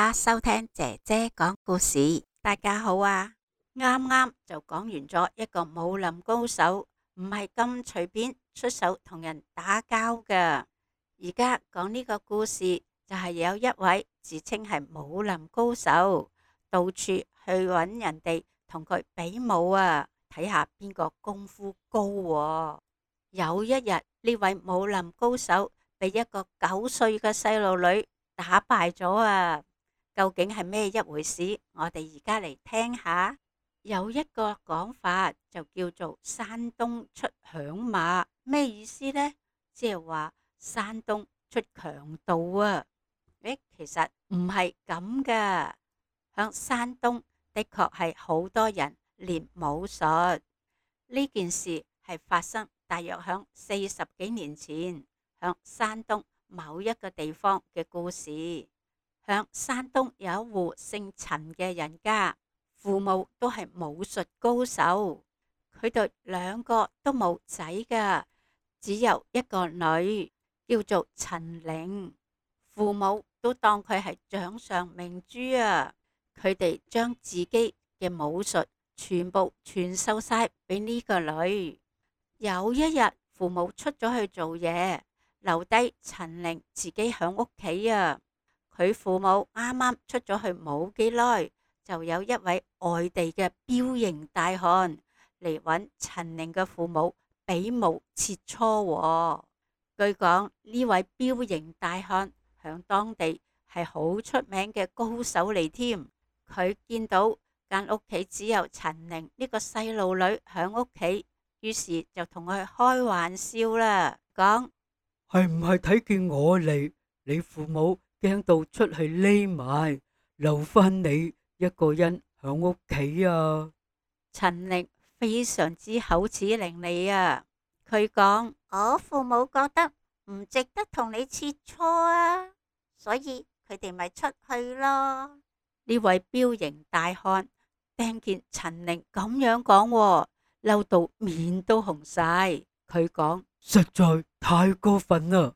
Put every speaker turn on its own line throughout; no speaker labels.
家收聽姐姐講故事。大家好啊！啱啱就講完咗一個武林高手，唔係咁隨便出手同人打交㗎。而家講呢個故事就係有一位自稱係武林高手，到處去揾人哋同佢比武啊，睇下邊個功夫高喎。有一日，呢位武林高手被一個9歲嘅細路女打敗咗啊！究竟係咩一回事？我哋而家嚟聽下。有一個講法就叫做山東出響馬，咩意思呢？即係話山東出強盜啊！其實唔係咁噶。響山東的確係好多人練武術。呢件事係發生大約響40幾年前，響山東某一個地方嘅故事。響山東有一戶姓陳嘅人家，父母都係武術高手，佢哋兩個都冇仔噶，只有一個女，叫做陳玲。父母都當佢係掌上明珠啊，佢哋將自己嘅武術全部傳授晒俾呢個女。有一日，父母出咗去做嘢，留低陳玲自己響屋企啊。佢父母啱啱出咗去冇幾耐，就有一位外地嘅彪形大漢嚟揾陳玲嘅父母比武切磋喎。據講呢位彪形大漢響當地係好出名嘅高手嚟添。佢見到間屋企只有陳玲呢個細路女響屋企，於是就同佢開玩笑啦，講：
係唔係睇見我嚟，你父母驚到出去匿埋，留翻你一個人響屋企啊？
陳玲非常之口齒伶俐啊！佢講：我父母覺得唔值得同你切磋啊，所以佢哋咪出去咯。呢位彪形大漢聽見陳玲咁樣講，嬲到面都紅晒。佢講：
實在太過分啦！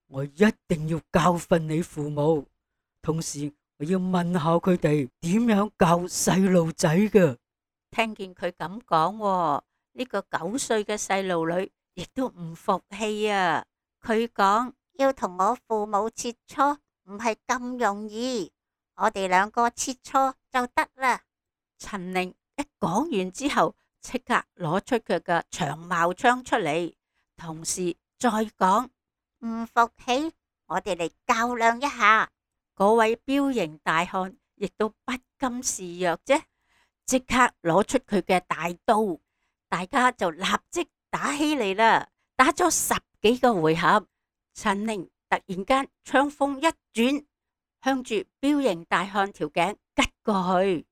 我一定要教訓你父母，同時我要問下佢哋點樣教細路仔嘅。
聽見佢咁講，呢個9歲嘅細路女亦都唔服氣啊！佢講：要同我父母切磋唔係咁容易，我哋兩個切磋就得啦。陳玲一講完之後，即刻攞出佢嘅長矛槍出嚟，同時再講：唔服氣，我哋嚟較量一下。嗰位彪形大漢亦都不甘示弱啫，即刻攞出佢嘅大刀，大家就立即打起嚟啦。打咗10幾個回合，陳玲突然間槍鋒一轉，向住彪形大漢條頸吉過去。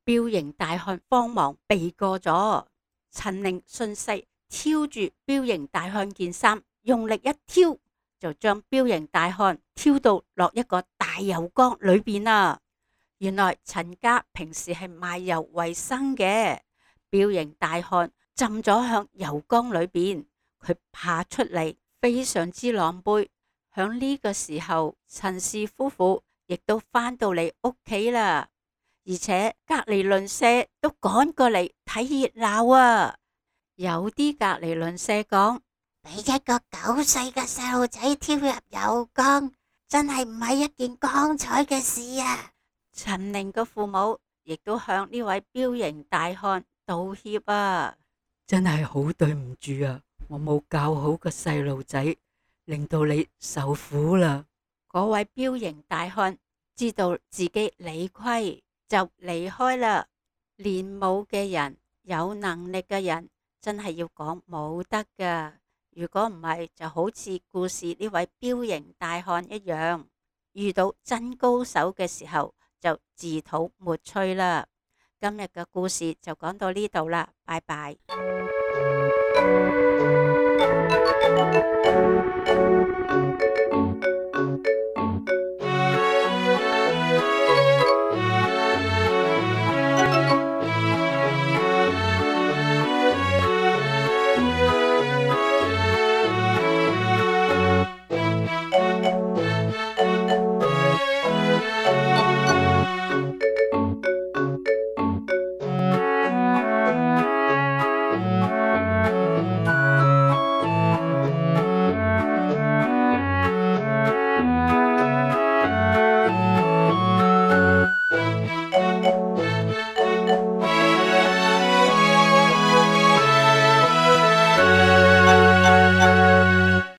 彪形大漢慌忙避過咗，陳玲順勢挑住彪形大漢件衫，用力一挑，就將彪形大漢挑到落一個大油缸裏邊啦。原來陳家平時係賣油為生嘅，彪形大漢浸咗向油缸裏邊，佢爬出嚟非常之狼狽。響呢個時候，陳氏夫婦亦都返到嚟屋企啦。而且隔籬鄰舍都趕過嚟睇熱鬧啊！有啲隔籬鄰舍講：俾一個9歲嘅細路仔跳入油缸，真係唔係一件光彩嘅事啊！陳玲嘅父母亦都向呢位彪形大漢道歉啊！
真係好對唔住啊！我冇教好個細路仔，令到你受苦啦。
嗰位彪形大漢知道自己理虧，就離開啦。練武嘅人，有能力嘅人，真係要講武德噶。如果唔係，就好似故事呢位彪形大漢一樣，遇到真高手嘅時候就自討沒趣啦。今日嘅故事就講到呢度啦，拜拜。拜。